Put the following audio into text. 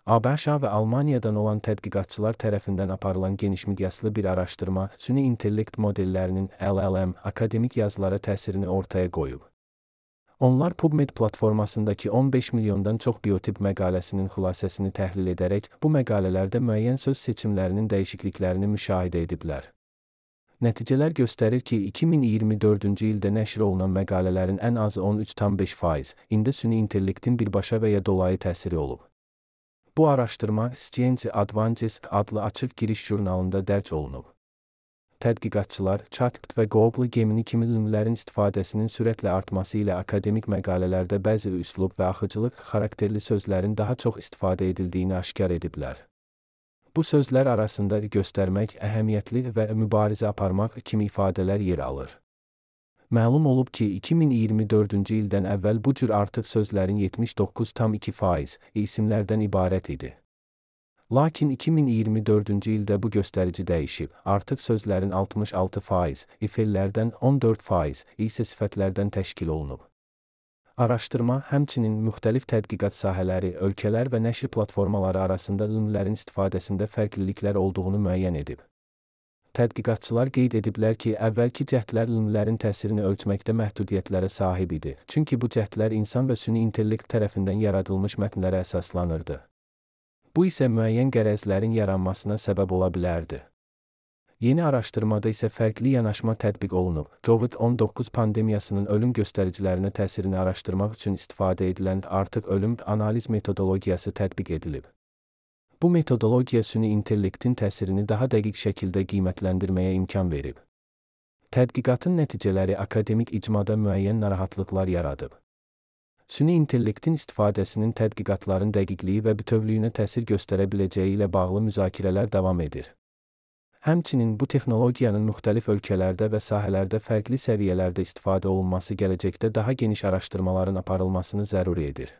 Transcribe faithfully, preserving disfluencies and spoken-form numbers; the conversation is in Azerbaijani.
ABŞ və Almaniyadan olan tədqiqatçılar tərəfindən aparılan genişmiqyaslı bir araşdırma süni intellekt modellərinin L L M akademik yazılara təsirini ortaya qoyub. Onlar PubMed platformasındakı on beş milyondan çox biotip məqaləsinin xülasəsini təhlil edərək, bu məqalələrdə müəyyən söz seçimlərinin dəyişikliklərini müşahidə ediblər. Nəticələr göstərir ki, iki min iyirmi dördüncü ildə nəşr olunan məqalələrin ən azı on üç tam beş faiz ində süni intellektin birbaşa və ya dolayı təsiri olub. Bu araşdırma Science Advances adlı açıq giriş jurnalında dərc olunub. Tədqiqatçılar ChatGPT və Google Gemini kimi elmlərin istifadəsinin sürətlə artması ilə akademik məqalələrdə bəzi üslub və axıcılıq xarakterli sözlərin daha çox istifadə edildiyini aşkar ediblər. Bu sözlər arasında göstərmək, əhəmiyyətli və mübarizə aparmaq kimi ifadələr yer alır. Məlum olub ki, iki min iyirmi dördüncü ildən əvvəl bu cür artıq sözlərin yetmiş doqquz tam iki faiz isimlərdən ibarət idi. Lakin iki min iyirmi dördüncü ildə bu göstərici dəyişib, artıq sözlərin altmış altı faiz ifellərdən on dörd faiz isə sifətlərdən təşkil olunub. Araşdırma həmçinin müxtəlif tədqiqat sahələri, ölkələr və nəşr platformaları arasında elmlərin istifadəsində fərqliliklər olduğunu müəyyən edib. Tədqiqatçılar qeyd ediblər ki, əvvəlki cəhdlər elmlərin təsirini ölçməkdə məhdudiyyətlərə sahib idi, çünki bu cəhdlər insan və süni intellekt tərəfindən yaradılmış mətnlərə əsaslanırdı. Bu isə müəyyən qərəzlərin yaranmasına səbəb ola bilərdi. Yeni araşdırmada isə fərqli yanaşma tətbiq olunub. Covid on doqquz pandemiyasının ölüm göstəricilərinə təsirini araşdırmaq üçün istifadə edilən artıq ölüm analiz metodologiyası tətbiq edilib. Bu metodologiya süni intellektin təsirini daha dəqiq şəkildə qiymətləndirməyə imkan verib. Tədqiqatın nəticələri akademik icmada müəyyən narahatlıqlar yaradıb. Süni intellektin istifadəsinin tədqiqatların dəqiqliyi və bütövlüyünə təsir göstərə biləcəyi ilə bağlı müzakirələr davam edir. Həmçinin bu texnologiyanın müxtəlif ölkələrdə və sahələrdə fərqli səviyyələrdə istifadə olunması gələcəkdə daha geniş araşdırmaların aparılmasını zəruri edir.